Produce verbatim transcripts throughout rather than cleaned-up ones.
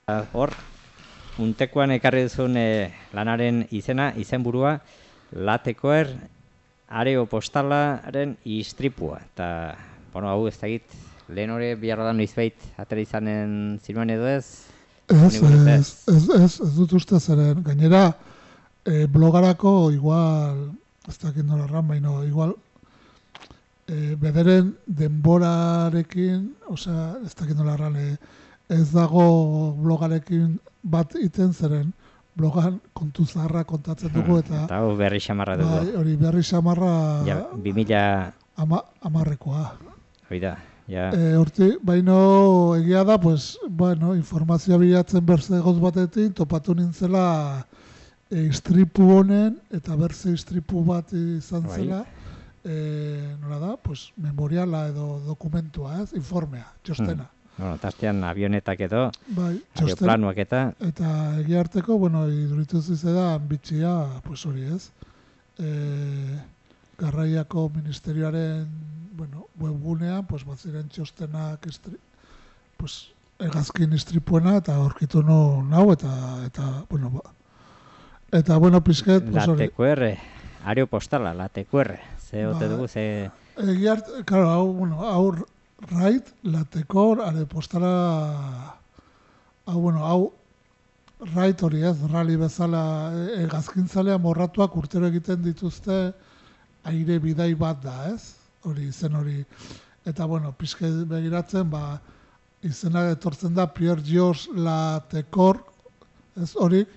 Hor, untekoan ekarri duzun e, lanaren izena, izenburua, Latekoer areo postalaren istripua. Eta, bueno, hau ez dakit, lehen hori biharra da noizbait atera izanen zinuen edo ez? Ez, ez, ez, ez, ez dut uste zeren. Gainera, e, blogarako igual, ez dakit nola erran, baino, igual, e, bederen denborarekin, osea, ez dakit nola erran, e, ez dago blogarekin bat iten zeren, blogan kontu zaharra kontatzen dugu, eta... Eta hau berri xamarra dugu. Bai, hori berri xamarra... Ja, bi mila... Ama, amarrekoa. Hori da, ja... E, horti, baino egia da, pues, bueno, informazioa bilatzen berzegoz batetik, topatu nintzela e, istripu honen, eta berze istripu bat izan zela, e, nola da, pues, memoriala edo dokumentua, ez, informea, txostena. Hmm. Bueno, tastean avionetak edo, bai, aeroplanuak eta... Eta egia harteko, bueno, iduritu zizedan bitxia, pues hori ez, e, Garraiako Ministerioaren, bueno, webgunean, pues baziren txostenak, istri, pues, egazkin istripuena, eta aurkitu no nau, eta, eta, bueno, ba, eta, bueno, pizket, pues hori. Latekoer, areo postala, Latekoer, ze ote dugu, ze... Egia harteko, claro, hau, bueno, hau, Raid, Latekor, are postala, hau, bueno, hau, Raid hori ez, rali bezala, egazkintzalea morratuak urtero egiten dituzte aire bidai bat da, ez? Hori, izen hori. Eta, bueno, pixke begiratzen, ba, izena etortzen da Pierre Georges Latekor, ez horik,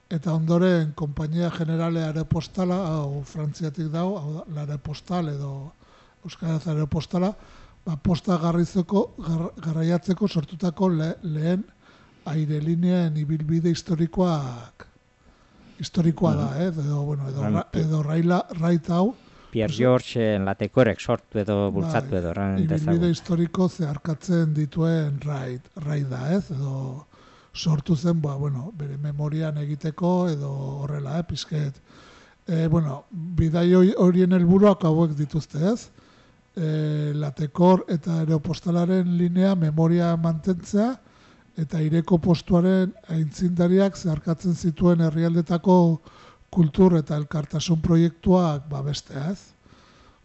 eta ondoren Kompainia Generale Aeropostala, hau, frantziatik dau, hau, l'Aeropostal edo Euskaraz Aeropostala, ba, posta garrizeko, gar, garraiatzeko sortutako le, lehen airelineen ibilbide historikoak historikoa da, eh? edo, bueno, edo, ra, edo raila, raita hau. Pierre George Latekorek sortu edo bultzatu edo. Ibilbide historiko zeharkatzen dituen raid, raida, ez? Edo sortu zen, ba, bueno, bere memorian egiteko edo horrela, eh, pizket. E, bueno, bidai horien helburuak hauek dituzte, ez? E, Latekor eta aeropostalaren linea memoria mantentzea eta ireko postuaren aintzindariak zeharkatzen zituen herrialdetako kultur eta elkartasun proiektuak babestea, ez?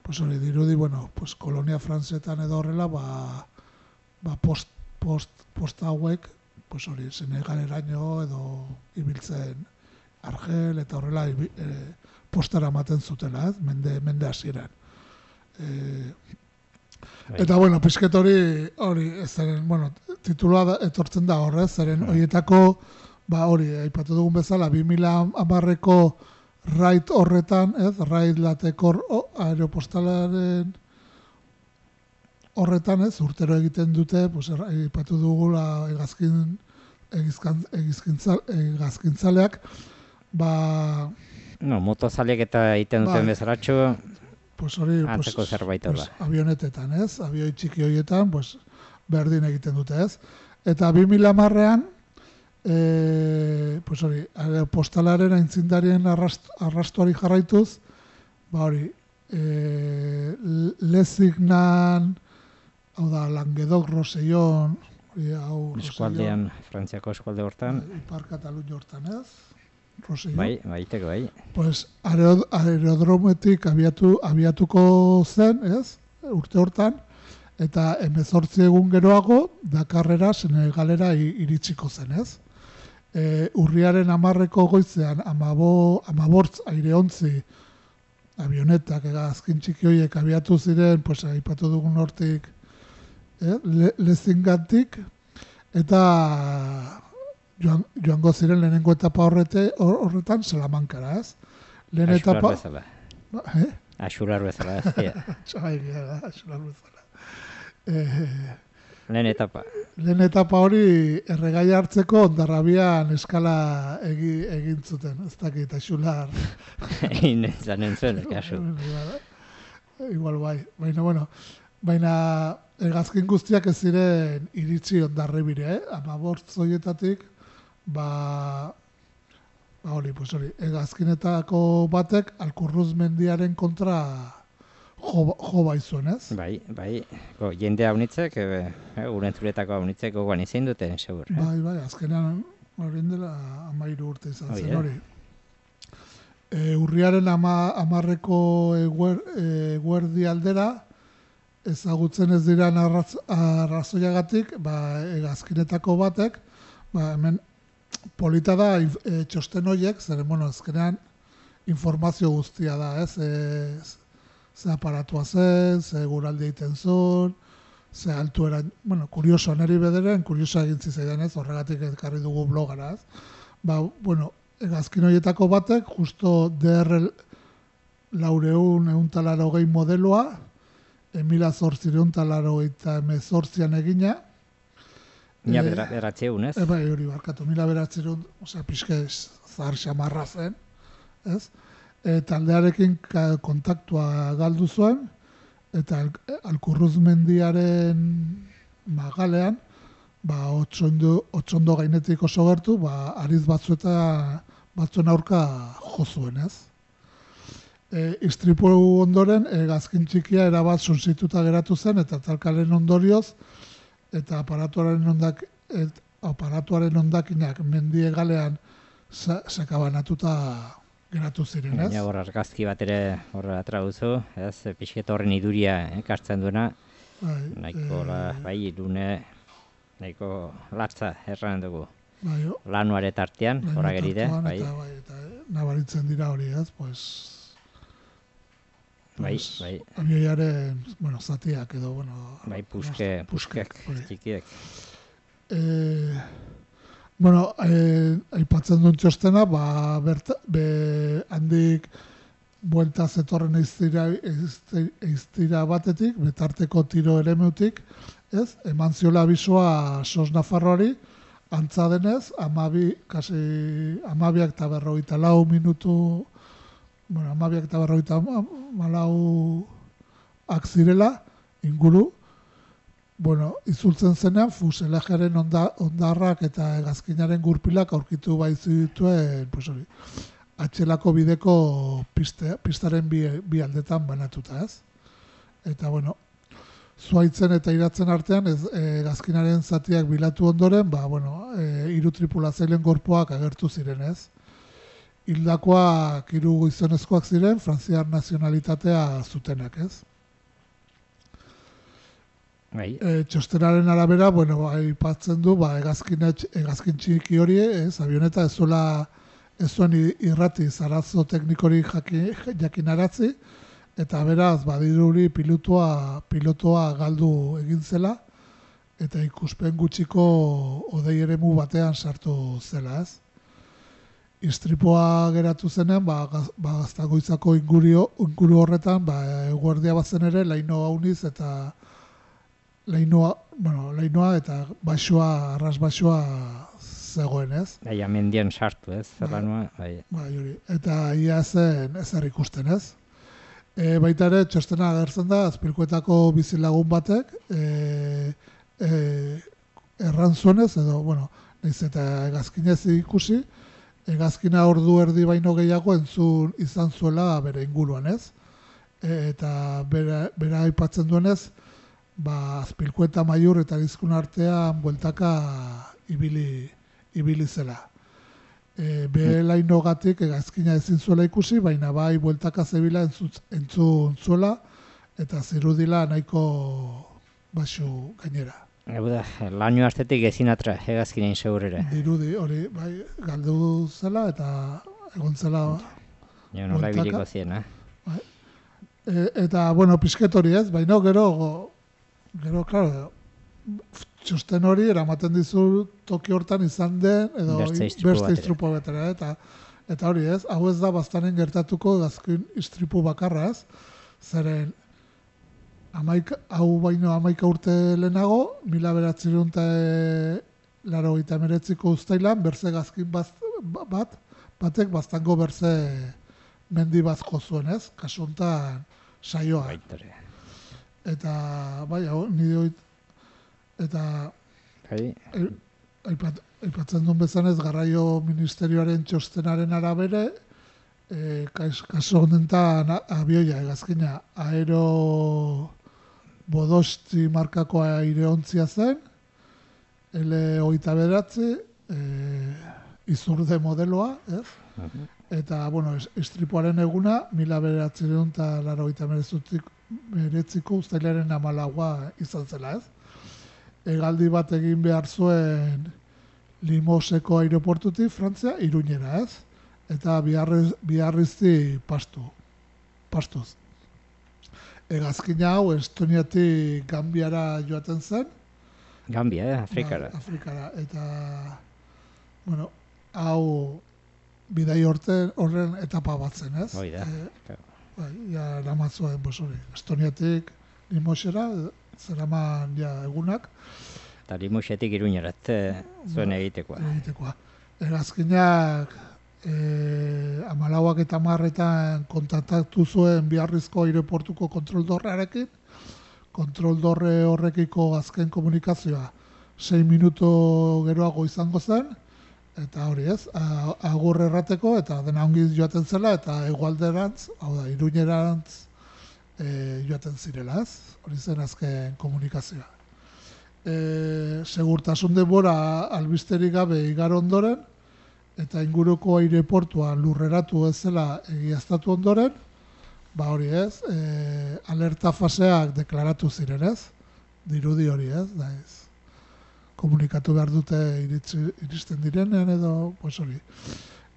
Pues hori dirudi, bueno, pues kolonia frantsetan edo horrela, ba, ba post, post, posta hauek, pues hori, Senegaleraino edo ibiltzen Argel eta horrela e, postara ematen zutela, ez? Mende, mende hasieran. E, eta, bueno, pizket hori, hori, zeren, bueno, titulua da, etortzen da horrez, zeren horietako, ba hori, aipatu dugun bezala, bi mila hamarreko raid horretan, ez, raid Latekor aeropostalaren horretan, ez, urtero egiten dute, pues, aipatu dugula egazkin, egizkan, egizkintzal, egazkintzaleak, ba... No, motozaleak eta egiten duten ba, bezaratxo, pues hori, antzeko pues, zerbait pues, avionetetan, ez, avioi txiki horietan, pues, berdin egiten dute, ez. Eta bi mila hamarrean, E, pues hori, aeropostalaren aintzindarien arrast, arrastuari jarraituz, ba hori, e, Lezignan, hau da, Languedoc, Rosellon, hau eskualdean, Frantziako eskualde hortan. Ipar Katalunia hortan, ez? Rosellon. Bai, baiteko, bai. Pues aerodrometik abiatu, abiatuko zen, ez? Urte hortan, eta hemezortzi egun geroago, Dakarrera, Senegalera iritsiko zen, ez? E, urriaren hamarreko goizean amabo, amabortz aireontzi avionetak egazkin txiki horiek abiatu ziren, pues, aipatu dugun hortik, eh, le, lezingatik, eta joan, joango ziren lehenengo etapa horrete, horretan Salamankara, ez? Lehen etapa... bezala. Eh? Axular bezala, ez? Axular bezala. Eh, Lehen etapa. Lehen etapa hori erregai hartzeko Hondarrabian eskala egi, egin zuten, ez dakit, Axular. Egin zanen zuen, kasu. Igual bai, baina, bueno, baina egazkin guztiak ez ziren iritsi Hondarribira, eh? Amabortz horietatik, ba, ba hori, pues hori, egazkinetako batek Alkurruz mendiaren kontra jo, jo baizuen, ez? Bai, bai, go, jendea unitzek, e, e, urentzuretako unitzek gogoan izin dute, segur. Eh? Bai, bai, azkenean horien dela amairu urte izan Oh, zen yeah. hori. E, urriaren ama, amarreko eguer, eguerdi aldera, ezagutzen ez dira arraz, arrazoiagatik, ba, hegazkinetako batek, ba, hemen polita da e, txosten horiek, zeren, bueno, azkenean informazio guztia da, ez? E, ze aparatua zen, ze guraldi egiten zuen, ze altuera, bueno, kurioso, neri bederen, kurioso egin zizaidan, ez? Horregatik ekarri dugu blogara, ez? Ba, bueno, hegazkin horietako batek, justo D R laureun euntalaro gehi modeloa, emila zortzireun talaro eta emezortzian egina. Mila e, beratzeun, ez? E, bai, hori barkatu, mila beratzeun, osea, pixke zahar xamarra zen, ez? E, taldearekin kontaktua galdu zuen, eta al, Alkurruz mendiaren magalean, ba, otsondo, otsondo gainetik oso gertu, ba, ariz batzu eta batzuen aurka jo zuen, ez? E, istripu ondoren, hegazkin txikia erabat suntsituta geratu zen, eta talkaren ondorioz, eta aparatuaren ondak, et, aparatuaren ondakinak mendie galean sa, sakabanatuta geratu ziren, ez? Ja, hor argazki bat ere horra atraguzu, ez? Pixket horren iduria ekartzen duena, bai, nahiko, e... la, bai, irune, nahiko latza erran dugu. Bai, lanuare tartean, horra geride, bai. Eta, bai, eta nabaritzen dira hori, ez? Pues, bai, bai. Abioiaren, bueno, zatiak edo, bueno... Bai, puske, puskek, txikiek. Eh, bueno, eh, aipatzen duen txostena, ba, berta, be, handik buelta zetorren eiztira, eiztira batetik, betarteko tiro eremeutik, ez? Eman ziola abisoa Sos Nafarroari, antza denez, amabi, kasi, amabiak eta berrogeita lau minutu, bueno, amabiak eta berrogeita malau akzirela, inguru, bueno, izultzen zenean, fuselajaren onda, ondarrak eta hegazkinaren gurpilak aurkitu baizu dituen, pues hori, atxelako bideko piste, pistaren bi, bi aldetan banatuta, ez? Eta, bueno, zuaitzen eta iratzen artean, ez, hegazkinaren zatiak bilatu ondoren, ba, bueno, e, hiru tripulatzaileen gorpuak agertu ziren, ez? Hildakoak hiru gizonezkoak ziren, frantziar nazionalitatea zutenak, ez? Bai. E, txostenaren arabera, bueno, aipatzen du, ba, hegazkin, hegazkin txiki hori, ez, avioneta ez zuela, ez zuen irrati zarazo teknikori jakinaratzi, eta beraz, badiruri pilotua, pilotoa galdu egin zela, eta ikuspen gutxiko odei eremu batean sartu zela, ez. Istripua geratu zenean, ba, gaz, ba, Gaztagoitzako ingurio, inguru horretan, ba, eguerdia bazen ere, laino hauniz eta lainoa, bueno, lainoa eta baixoa, arras baixoa zegoen, ez? Bai, amendian sartu, ez? Zerlanua, bai. Bai, hori. Eta ia zen ezer ikusten, ez? E, baita ere, txostena agertzen da, Azpilkuetako bizilagun batek, e, e, erran zuenez, edo, bueno, nahiz eta hegazkinez ikusi, hegazkina ordu erdi baino gehiago entzun izan zuela bere inguruan, ez? E, eta bera, bera aipatzen duenez, ba, Azpilkueta Maiur eta Gizkun artean bueltaka ibili, ibili zela. E, be lainogatik hegazkina ezin zuela ikusi, baina bai bueltaka zebila entzun, entzun zuela, eta zirudila nahiko baxu gainera. Hau da, laino astetik ezin atra hegazkinen segurera. Dirudi, hori, bai, galdu zela eta egon zela jo, nola ibiliko zien, eh? Bai. E, eta, bueno, pisket hori ez, baina gero, gero, klaro, txosten hori eramaten dizu toki hortan izan den, edo beste istripu betera, eta, eta hori ez, hau ez da bastanen gertatuko hegazkin istripu bakarra ez, zeren, Amaika, hau baino amaika urte lehenago, mila beratzerun eta laro eta emeretziko uztailan, berze gazkin bat, bat, batek baztango berze mendi bat jo zuen, ez? Kasu honetan saioa. Baitare. Eta, bai, hau, nire hoit, eta bai. aipat, aipatzen duen bezanez, Garraio Ministerioaren txostenaren arabere, e, kaso honetan abioia, egazkina, aero bodosti markako aireontzia zen, L hogeita bederatzi, e, izurde modeloa, ez? Uh-huh. Eta, bueno, istripuaren eguna, mila bederatzireun eta laurogeita hemeretziko uztailaren hamalauआ izan zela, ez? Hegaldi bat egin behar zuen Limoseko aireportutik, Frantzia, Iruñera, ez? Eta biharriz, biharrizti pastu, pastuz. Hegazkina hau Estoniatik Gambiara joaten zen. Gambia, eh? Afrikara. Ba, Afrikara. Eta, bueno, hau bidai horten horren etapa bat zen, ez? Hoi da. E, bai, ja, ramatzuen, bos hori. Estoniatik Limosera, zeraman ja egunak. Eta Limosetik Iruñerat zuen egitekoa. Egitekoa. Hegazkinak e, amalauak eta marretan kontaktatu zuen Biarrizko aireportuko kontroldorrearekin. Kontroldorre horrekiko azken komunikazioa sei minuto geroago izango zen, eta hori ez, agur errateko, eta dena ongi joaten zela, eta hegoalderantz, hau da, Iruñerantz e, joaten zirela ez, hori zen azken komunikazioa. E, segurtasun denbora albisterik gabe igaro ondoren, eta inguruko aireportua lurreratu ez zela egiaztatu ondoren, ba hori ez, e, alerta faseak deklaratu ziren ez, dirudi hori ez, da ez, komunikatu behar dute iritsi, iristen direnean edo, pues hori.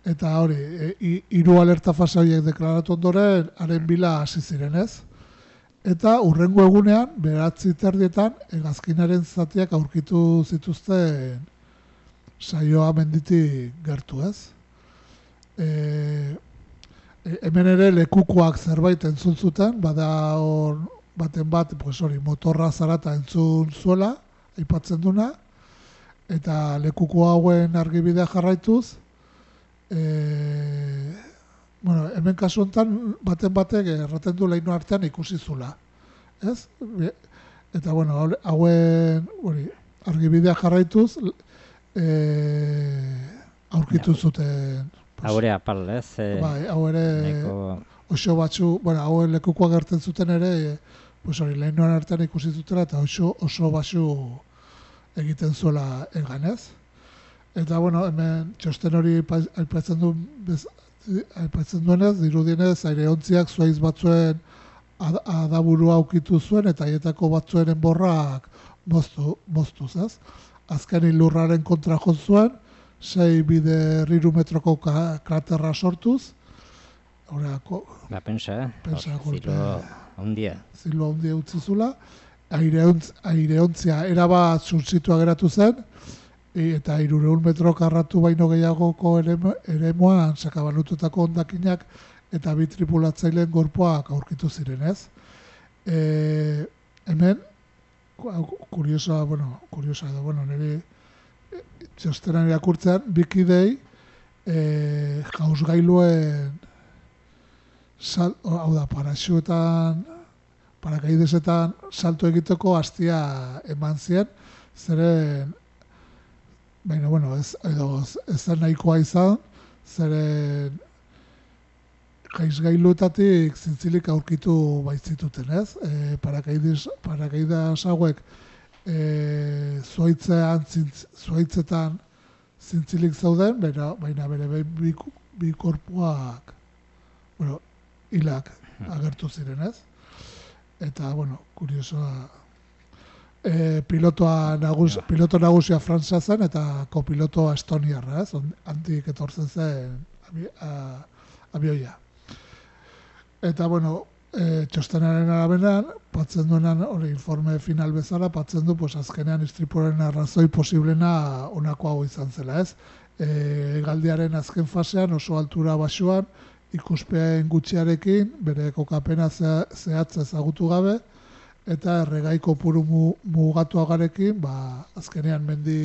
Eta hori, e, hiru alerta fase horiek deklaratu ondoren, haren bila hasi ziren ez, eta hurrengo egunean, beratzi terdietan, hegazkinaren zatiak aurkitu zituzten saioa menditik gertu ez. E, hemen ere lekukoak zerbait entzun zuten, bada hor baten bat, pues hori, motorra zarata entzun zuela, aipatzen duna, eta lekuko hauen argibidea jarraituz, e, bueno, hemen kasu honetan baten batek erraten du leinu artean ikusi zula, ez? Eta, bueno, hauen hori, argibidea jarraituz, e, aurkitu zuten. Haure apal, ez? E, bai, hau ere neko... oso batzu, bueno, hauen lekukoa gertzen zuten ere, e, pues hori, lehenuan artean ikusi zutela, eta oso, oso batzu egiten zuela egan, ez? Eta, bueno, hemen txosten hori aipatzen du, bez, aipatzen duenez, dirudienez, aireontziak zuaiz batzuen ad, adaburua aukitu zuen, eta haietako batzuen enborrak moztu, moztuz, ez? Azkenin lurraren kontra jo zuen, sei bide riru metroko kraterra sortuz. Horako... Ba, pensa, eh? Pensa, golpe... Zilo ondia. Zilo ondia utzi zula. Aireontz, aireontzia erabat zurtzitua geratu zen, e, eta hirureun metro karratu baino gehiagoko eremuan sakabanututako hondakinak eta bi tripulatzaileen gorpoak aurkitu ziren, ez? E, hemen, kuriosoa, bueno, kuriosoa edo, bueno, nire txostenan irakurtzean, bikidei e, jauzgailuen sal, hau da, paraxuetan, parakaidesetan salto egiteko hastia eman zien, zeren, baina, bueno, ez, edo, ez zen nahikoa izan, zeren jaizgailuetatik zintzilik aurkitu baitzituten, ez? E, parakaides, parakaidas hauek e, zuaitzean, zintz, zuaitzetan zintzilik zauden, baina, baina bere bi, bi korpuak, bueno, hilak agertu ziren, ez? Eta, bueno, kuriosoa, e, pilotoa nagus, piloto nagusia Frantzia zen, eta kopilotoa estoniarra, ez? Handik etortzen zen abi, a, abioia. Eta, bueno, e, txostenaren araberan, patzen duenan, hori informe final bezala, patzen du, pues, azkenean istripuaren arrazoi posiblena honako hau izan zela, ez? E, galdiaren azken fasean, oso altura basuan, ikuspean gutxiarekin, bere kokapena zehatza ezagutu gabe, eta erregai kopuru mugatuagarekin, ba, azkenean mendi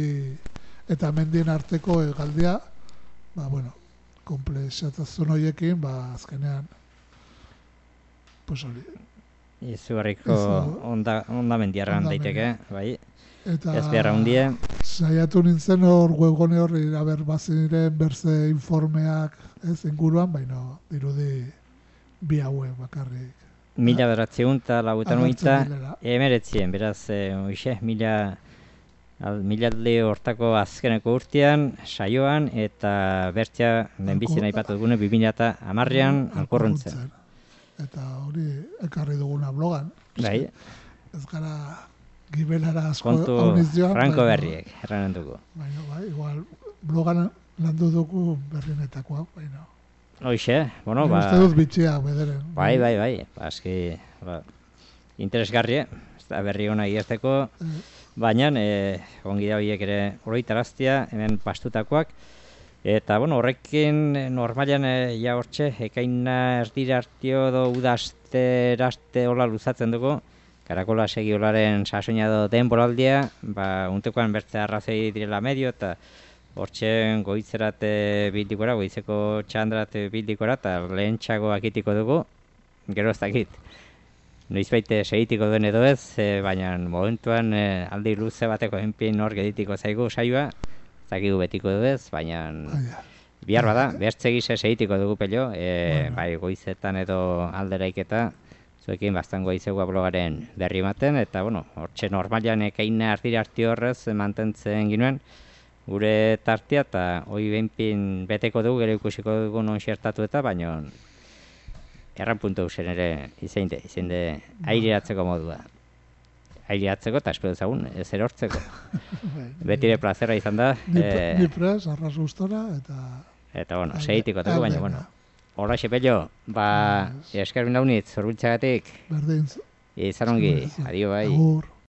eta mendien arteko hegaldia, ba, bueno, komplexatazun horiekin, ba, azkenean, pues hori. Izugarriko onda, onda mendiarran daiteke, bai. Eta ez beharra hundie. Saiatu nintzen hor webgune horri aber baziren berze informeak ez inguruan, baina dirudi bi hauek bakarrik. Mila beratzeun eta lauetan Agertzen oita direla. emeretzien, beraz, e, oixe, mila al, milalde hortako azkeneko urtean, saioan, eta bertzea lehenbizien aipatu dugune, bi mila eta hamarrean alkorruntzen. Eta hori ekarri duguna blogan. Bai, Ez gara gibelara asko kontu auniz joan. franko baina- berriek, erranen dugu. Baina, bai, igual, blogan landu dugu berrienetakoa, baina. Hoxe, bueno, Nik ba... uste dut bitxia bederen. Bai, bai, bai, ba, eski, ba, interesgarri, ez da berri hona igerteko, baina e, ongi da horiek ere oroitaraztia, hemen pastutakoak, eta, bueno, horrekin eh, normalian e, ja hortxe, ekaina erdira hartio edo udazteraste hola luzatzen dugu, karakola segi holaren sasoina edo denboraldia, ba, untekoan bertze arrazoi direla medio, eta hortxe goitzerate bildikora, goizeko txandrate bildikora, eta lehentxago akitiko dugu, gero ez dakit. Noizbait segitiko duen edo ez, e, baina momentuan e, aldi luze bateko enpin hor geditiko zaigu saioa, ez dakigu betiko du ez, baina bihar bada, bertze gise segitiko dugu pello, e, Bueno. bai goizetan edo alderaiketa, zuekin bastan goizegua blogaren berri ematen, eta bueno, hortxe normalian ekaina ardira arti horrez mantentzen ginuen, gure tartea, eta hoi behinpin beteko dugu, gero ikusiko dugu non xertatu eta, baina erran puntu zen ere izeinde, izeinde aireratzeko modua. Aireratzeko eta espero dezagun, ez erortzeko. Betire plazera izan da. Ni, eh, ni pres, arras gustora, eta... eta bueno, Alde- segitiko dugu, baina aldena. bueno. Horaxe pello, ba, Yes. esker bindaunitz, zorbiltzagatik, Berdin, izan ongi, adio bai. agur.